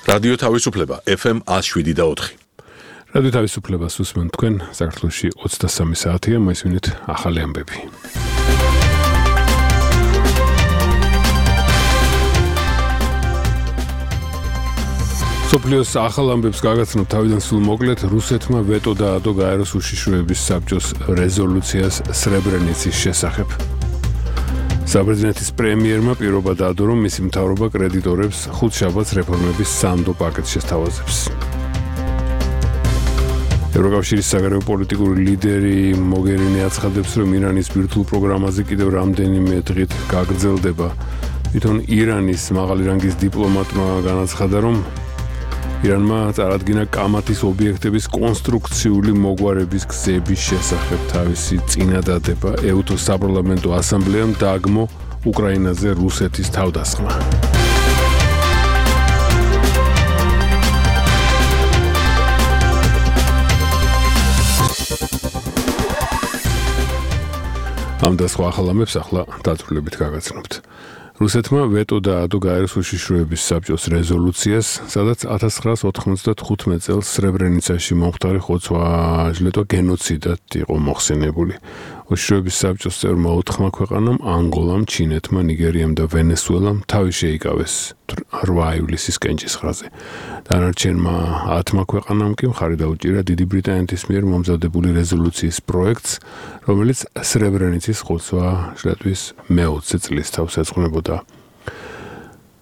რადიო თავისუფლება FM 107.4. რადიო თავისუფლებას უსმენთ თქვენ საქართველოში 23 საათია, მოისმინეთ ახალი ამბები. სოფლიოს ახალ ამბებს გაგაცნობთ თავიდან სულ მოკლედ, რუსეთმა ვეტო დაადო გაეროს უშიშროების საბჭოს რეზოლუციას სრებრენიცის შესახებ. საბერძნეთის პრემიერმა პირობა დაადო, რომ მისი მთავრობა კრედიტორებს ხუთშაბათს რეფორმების სანდო პაკეტს შესთავაზებს. ევროკავშირის საგარეო პოლიტიკური ლიდერი მოგერინი აცხადებს, რომ ირანის ბირთვულ პროგრამაზე კიდევ რამდენიმე დღით გაგრძელდება. თვითონ ირანის მაღალი რანგის დიპლომატმა განაცხადა, რომ ირანმა წარადგინა კამათის ობიექტების კონსტრუქციული მოგვარების გზების შესახებ თავისი წინადადება. ეუთოს საპარლამენტო ასამბლეამ დააგმო უკრაინაზე რუსეთის თავდასხმა. ამ და სხვა ახალ ამბებს ახლა დაწვრილებით გაგაცნობთ. რუსეთმა ვეტო დაადო გაეროს უშიშროების საბჭოს რეზოლუციას, სადაც 1995 წელს სრებრენიცაში მომხდარი ხოცვა-ჟლეტვა გენოციდად იყო მოხსენებული. უშიშროების საბჭოს წევრმა 4 ქვეყანამ, ანგოლამ, ჩინეთმა, ნიგერიამ და ვენესუელამ თავი შეიკავეს 8 ივლისის კენჭისყრაზე. დანარჩენმა 10 ქვეყანამ კი მხარი დაუჭირა დიდი ბრიტანეთის მიერ მომზადებული რეზოლუციის პროექტს, რომელიც სრებრენიცის ხოცვა-ჟლეტვის მე-20 წლის თავს ეძღვნებოდა.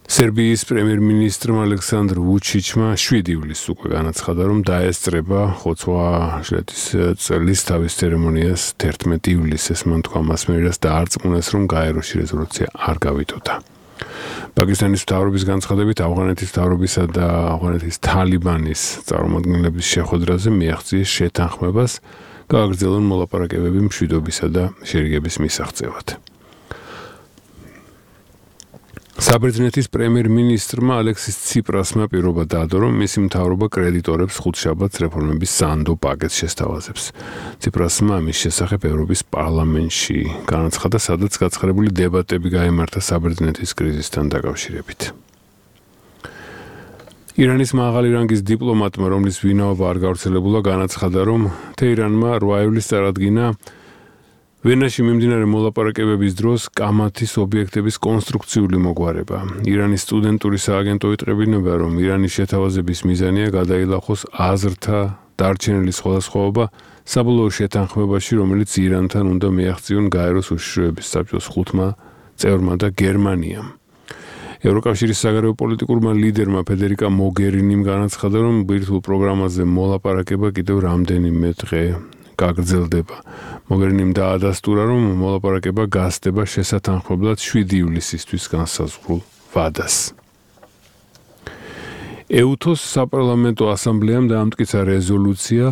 სერბიის პრემიერ-მინისტრმა ალექსანდრ ვუჩიჩმა 7 ივლისს უკვე განაცხადა, რომ დაესწრება ხოცვა-ჟლეტვის წლის თავის ცერემონიას 11 ივლისს, მან თქვა მასმედიას დაარწმუნეს, რომ გაეროში რეზოლუცია არ გავიტოდა. პაკისტანის მთავრობის განცხადებით, ავღანეთის მთავრობისა და ავღანეთის თალიბანის წარმომადგენლების შეხვედრაზე მიაღწიეს შეთანხმებას, გააგრძელონ მოლაპარაკებები მშვიდობისა და შერიგების მისაღწევად. საბერძნეთის პრემიერ-მინისტრმა ალექსის ციპრასმა პირობა დაადო, რომ მისი მთავრობა კრედიტორებს ხუთშაბათს რეფორმების სანდო პაკეტს შესთავაზებს. ციპრასმა ამის შესახებ ევროპის პარლამენტში განაცხადა, სადაც გაცხარებული დებატები გაიმართა საბერძნეთის კრიზისთან დაკავშირებით. ირანის მაღალი რანგის დიპლომატმა, რომლის ვინაობა არ გავრცელებულა, განაცხადა, რომ თეირანმა 8 ივლისს წარადგინა ვენაში მიმდინარე მოლაპარაკებების დროს კამათის ობიექტების კონსტრუქციული მოგვარება. ირანის სტუდენტური სააგენტო იტყებინება, რომ ირანის შეთავაზების მიზანია გადაილახოს აზრთა დარჩენილი სხვადასხვაობა საბოლოო შეთანხმებაში, რომელიც ირანთან უნდა მიაღწიონ გაეროს უშიშროების საბჭოს 5 წევრმა და გერმანიამ. ევროკავშირის საგარეო პოლიტიკურმა ლიდერმა ფედერიკა მოგერინიმ განაცხადა, რომ ბირთვულ პროგრამაზე მოლაპარაკება კიდევ რამდენიმე დღე გაგრძელდება. მოგერინიმ დაადასტურა, რომ მოლაპარაკება გასდება შესათანხმებლად 7 ივლისისთვის განსაზღვრულ ვადას. ეუთოს საპარლამენტო ასამბლეამ დაამტკიცა რეზოლუცია,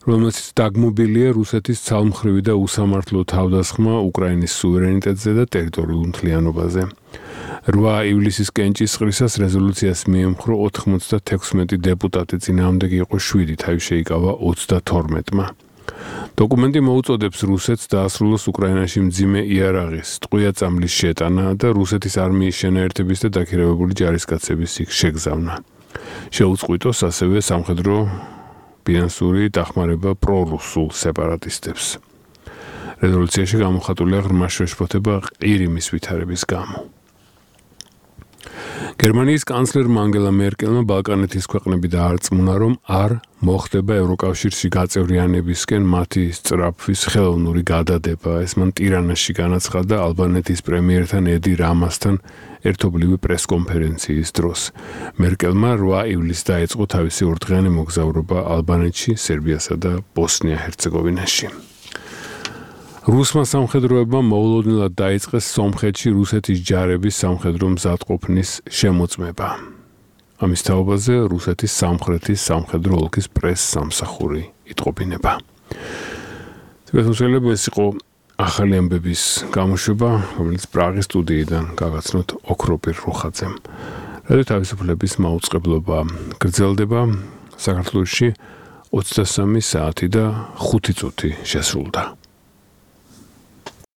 რომელშიც დაგმობილია რუსეთის ცალმხრივი და უსამართლო თავდასხმა უკრაინის სუვერენიტეტზე და ტერიტორიულ მთლიანობაზე. 8 ივლისის კენჭისყრისას რეზოლუციას მიემხრო 96 დეპუტატი, წინააღმდეგი იყო 7, თავი შეიკავა 32-მა. დოკუმენტი მოუწოდებს რუსეთს დაასრულოს უკრაინაში მძიმე იარაღის, ტყვია-წამლის შეტანა და რუსეთის არმიის შენაერთების და დაქირავებული ჯარისკაცების იქ შეგზავნა. შეუწყვიტოს ასევე სამხედრო ფინანსური დახმარება პრორუსულ სეპარატისტებს. რეზოლუციაში გამოხატულია ღრმა შეშფოთება ყირიმის ვითარების გამო. გერმანიის კანცლერმა ანგელა მერკელმა ბალკანეთის ქვეყნები დაარწმუნა, რომ არ მოხდება ევროკავშირში გაწევრიანებისკენ მათი სწრაფვის ხელოვნური გადადება. ეს მან ტირანაში განაცხადა ალბანეთის პრემიერთან ედი რამასთან ერთობლივი პრესკონფერენციის დროს. მერკელმა 8 ივლისს დაიწყო თავისი ორდღიანი მოგზაურობა ალბანეთში, სერბიასა და ბოსნია-ჰერცეგოვინაში. რუსმა სამხედროებმა მოულოდნელად დაიწყეს სომხეთში რუსეთის ჯარების სამხედრო მზადყოფნის შემოწმება. ამის თაობაზე რუსეთის სამხრეთის სამხედრო ოლქის პრეს-სამსახური იტყობინება. ეს იყო ახალი ამბების გამოშვება, რომელიც პრაღის სტუდიიდან გაგაცნოთ ოქროპირ რუხაძემ. რადიო თავისუფლების მაუწყებლობა გრძელდება საქართველოში 23 საათი და 5 წუთი შესრულდა.